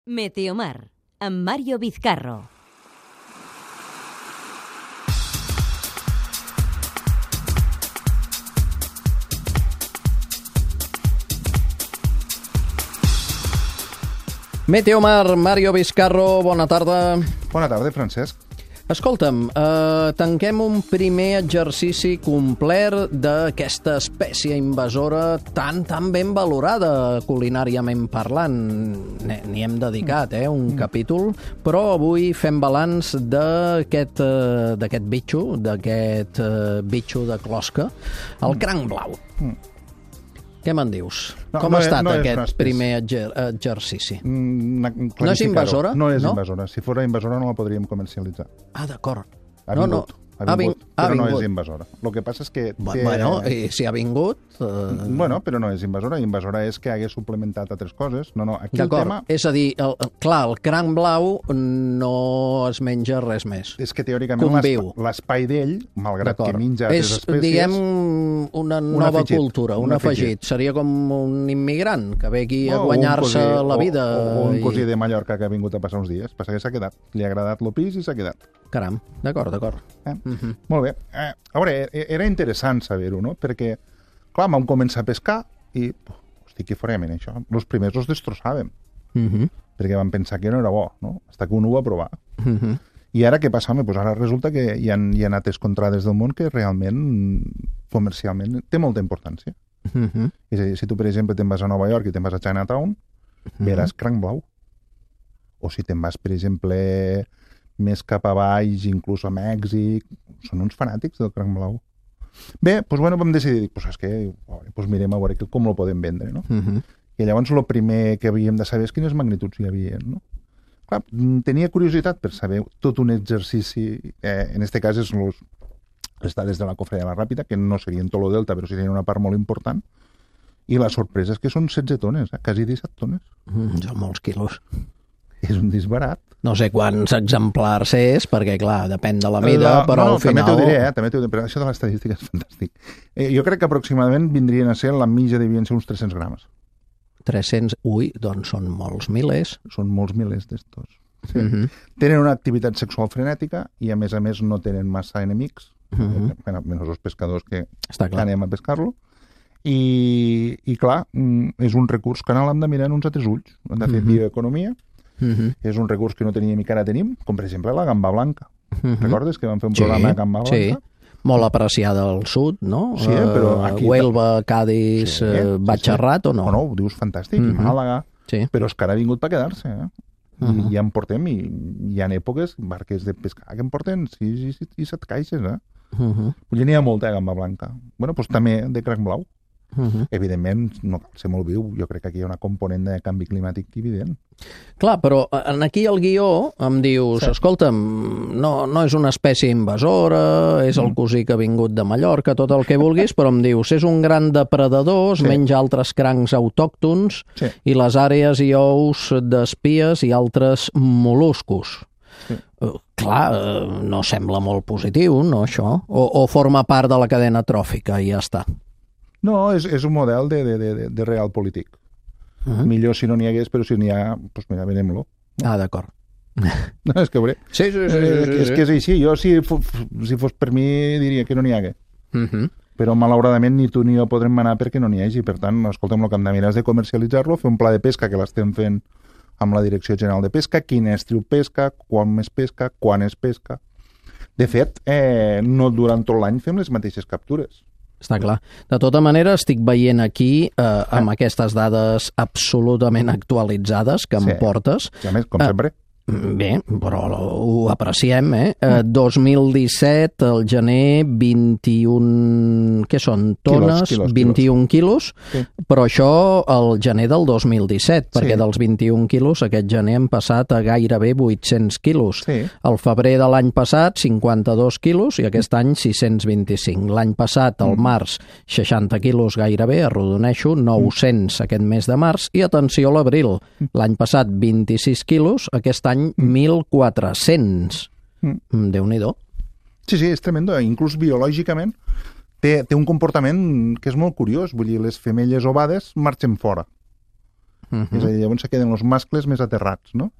Meteomar, amb Mario Vizcarro. Meteomar, Mario Vizcarro, bona tarda. Bona tarda, Francesc. Escolta'm, tanquem un primer exercici complet d'aquesta espècie invasora tan ben valorada culinàriament parlant. N'hi hem dedicat, un capítol, però avui fem balanç d'aquest bitxo, bitxo de closca, el cranc blau. Què me'n dius? Com ha estat aquest primer exercici? No és invasora? No és invasora. Si fos invasora no la podríem comercialitzar. Ah, d'acord. Ha vingut, però no és invasora. El que passa és que... Bueno, i si ha vingut... Bueno, però no és invasora. Invasora és que hagués suplementat altres coses. No, aquí el tema... És a dir, el cranc blau no es menja res més. És que teòricament l'espai d'ell, malgrat que menja altres espècies... És, diguem, una nova cultura, un afegit. Seria com un immigrant que ve aquí a guanyar-se la vida. O un cosí de Mallorca que ha vingut a passar uns dies. Passa que s'ha quedat. Li ha agradat el pis i s'ha quedat. Caram, d'acord. Molt bé. A veure, era interessant saber-ho, no? Perquè, clar, vam començar a pescar i, hosti, què farem en això? Els primers els destrossaven. Perquè vam pensar que no era bo, no? Fins que un ho va provar. I ara què passa? Pues ara resulta que hi ha altres contrades del món que realment, comercialment, té molta importància. És a dir, si tu, per exemple, te'n vas a Nova York i te'n vas a Chinatown, veràs cranc blau. O si te'n vas, per exemple... més cap a baix, inclús a Mèxic, són uns fanàtics del cranc blau. Bé, doncs vam decidir, mirem a veure com el podem vendre, no? I llavors el primer que havíem de saber és quines magnituds hi havia, no? Clar, tenia curiositat per saber tot un exercici, en aquest cas és les dades de la cofre de la Ràpita, que no serien tot el delta, però sí serien una part molt important, i la sorpresa és que són 16 tones, quasi 17 tones. Són molts quilos. És un disbarat. No sé quants exemplars és, perquè, clar, depèn de la mida, però al final... També t'ho diré, però això de l'estadística és fantàstic. Jo crec que aproximadament vindrien a ser, la mitja devien ser uns 300 grames. 300? Ui, doncs són molts milers. Són molts milers d'estos. Sí. Tenen una activitat sexual frenètica i, a més, no tenen massa enemics, menys els pescadors que anem a pescar-lo. I, clar, és un recurs que ara l'hem de mirar en uns altres ulls. Hem de fer bioeconomia. És un recurs que no teníem i que ara tenim, com per exemple la gamba blanca. Recordes que vam fer un programa de gamba blanca? Sí, molt apreciada al sud, no? Sí, però aquí... Huelva, Cádiz, Batxarrat o no? No, ho dius fantàstic, Màlaga, però és que ara ha vingut per quedar-se, I ja en portem, i hi ha èpoques, barques de pescar que en porten 6 i 7 caixes, N'hi ha molta gamba blanca. Bueno, doncs també de cranc blau. Evidentment, no cal ser molt viu. Jo crec que aquí hi ha una component de canvi climàtic evident. Clar, però aquí al guió em dius, escolta'm, no és una espècie invasora, és el cosí que ha vingut de Mallorca, tot el que vulguis, però em dius, és un gran depredador, menja altres crancs autòctons i les àrees i ous d'espies i altres mol·luscos. Clar, no sembla molt positiu, no, això? O forma part de la cadena tròfica i ja està? No, és un model de real polític. Millor si no n'hi hagués, però si n'hi ha, doncs mira, venem-lo. Ah, d'acord. No, és que veuré. Sí. És que és així. Jo, si fos per mi, diria que no n'hi hagué. Però, malauradament, ni tu ni jo podrem manar perquè no n'hi hagi. Per tant, escolta'm, el que hem de mirar és de comercialitzar-lo, fer un pla de pesca que l'estem fent amb la Direcció General de Pesca, quin estiu pesca, quan es pesca. De fet, no durant tot l'any fem les mateixes captures. Està clar. De tota manera, estic veient aquí, amb aquestes dades absolutament actualitzades que em portes... I a més, com sempre... Bé, però ho apreciem, 2017, al gener, 21... Què són? Tones? Quilos. 21 quilos, però això al gener del 2017, perquè dels 21 quilos aquest gener hem passat a gairebé 800 quilos. El febrer de l'any passat, 52 quilos, i aquest any 625. L'any passat, al març, 60 quilos gairebé, arrodoneixo, 900 aquest mes de març, i atenció a l'abril. L'any passat, 26 quilos, aquest any 1.400. Déu-n'hi-do. Sí, és tremendo. Inclús biològicament té un comportament que és molt curiós. Vull dir, les femelles ovades marxen fora. És a dir, llavors se queden els mascles més aterrats, no?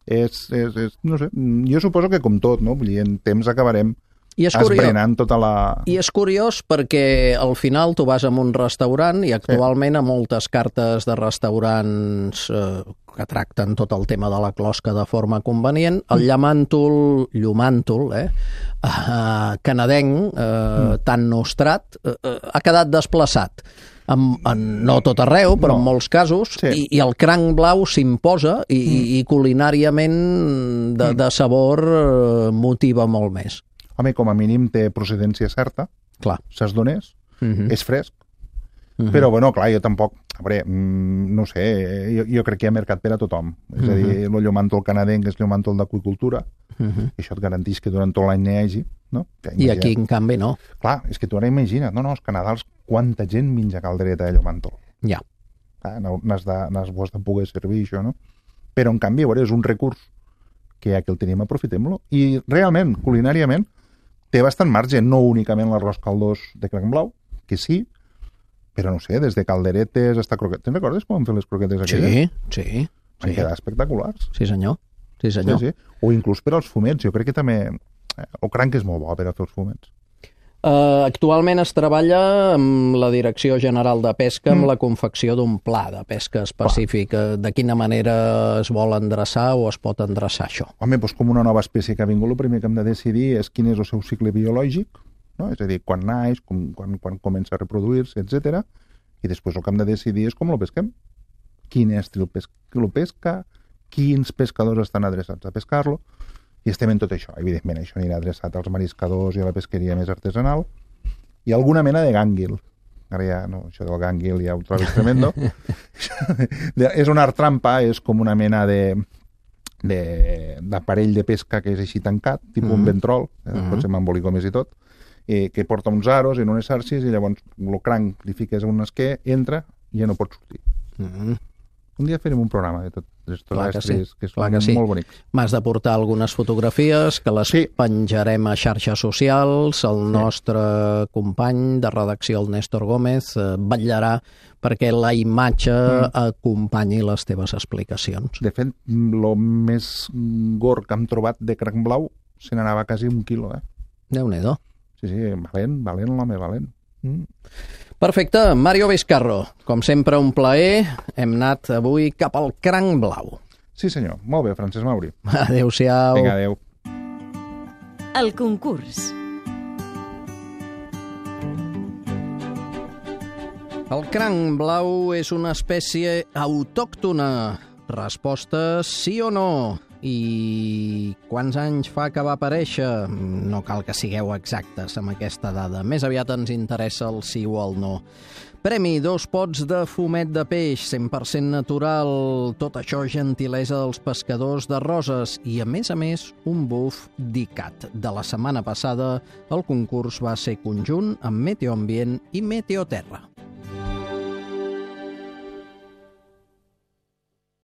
No sé, jo suposo que com tot, no? Vull dir, en temps acabarem esbrenant tota la... I és curiós perquè al final tu vas a un restaurant i actualment a moltes cartes de restaurants que tracten tot el tema de la closca de forma convenient, el llumàntol canadenc, tan nostrat, ha quedat desplaçat. No tot arreu, però en molts casos, i el cranc blau s'imposa i culinàriament de sabor motiva molt més. Home, com a mínim té procedència certa, saps d'on és, és fresc, però bueno, clar, jo tampoc, a veure, no sé, jo crec que hi ha mercat per a tothom, és a dir, el llumàntol canadenc és llumàntol d'aqüicultura, i això et garanteix que durant tot l'any n'hi hagi, no? I aquí, en canvi, no. Clar, és que tu ara imagina't, els Canadals, quanta gent menja caldereta de llumàntol. Ja. N'has de poder servir això, no? Però, en canvi, a veure, és un recurs que ja que el tenim, aprofitem-lo. I realment, culinàriament, té bastant marge, no únicament l'arròs caldós de cranc blau, que sí, però no sé, des de calderetes hasta croquetes. Te'n recordes com vam fer les croquetes aquelles? Sí. Van quedar espectaculars. Sí, senyor. Sí. O inclús per als fumets. Jo crec que també el cranc és molt bo per a fer els fumets. Actualment es treballa amb la Direcció General de Pesca amb la confecció d'un pla de pesca específic. De quina manera es vol endreçar o es pot endreçar això? Home, doncs com una nova espècie que ha vingut, el primer que hem de decidir és quin és el seu cicle biològic, no? És a dir, quan naix, quan comença a reproduir-se, etc. I després el que hem de decidir és com el pesquem. Quin estil lo pesca, quins pescadors estan adreçats a pescar-lo, i estem en tot això. Evidentment, això anirà adreçat als mariscadors i a la pesqueria més artesanal, i alguna mena de gànguil. Ara ja, no, això del gànguil ja ho trobes tremendo. És un art trampa, és com una mena d'aparell de pesca que és així tancat, tipus un ventrol, pot ser amb embolicomes i tot, que porta uns aros en unes xarxes i llavors el cranc li fiques a un esquer, entra i ja no pot sortir. Un dia farem un programa de tots aquests estris que són molt bonics. M'has de portar algunes fotografies que les penjarem a xarxes socials. El nostre company de redacció, el Néstor Gómez, vetllarà perquè la imatge acompanyi les teves explicacions. De fet, el més gorg que hem trobat de cranc blau se n'anava quasi 1 quilo. Déu-n'hi-do. Sí, valent l'home, valent. Perfecte. Mario Vizcarro, com sempre un plaer. Hem anat avui cap al cranc blau. Sí, senyor. Molt bé, Francesc Mauri. Adéu-siau. Vinga, adéu. El concurs. El cranc blau és una espècie autòctona. Resposta sí o no? I quants anys fa que va aparèixer? No cal que sigueu exactes amb aquesta dada. Més aviat ens interessa el sí o el no. Premi, 2 pots de fumet de peix, 100% natural. Tot això gentilesa dels pescadors de Roses. I, a més, un buf d'ICAT. De la setmana passada, el concurs va ser conjunt amb Meteoambient i Meteoterra.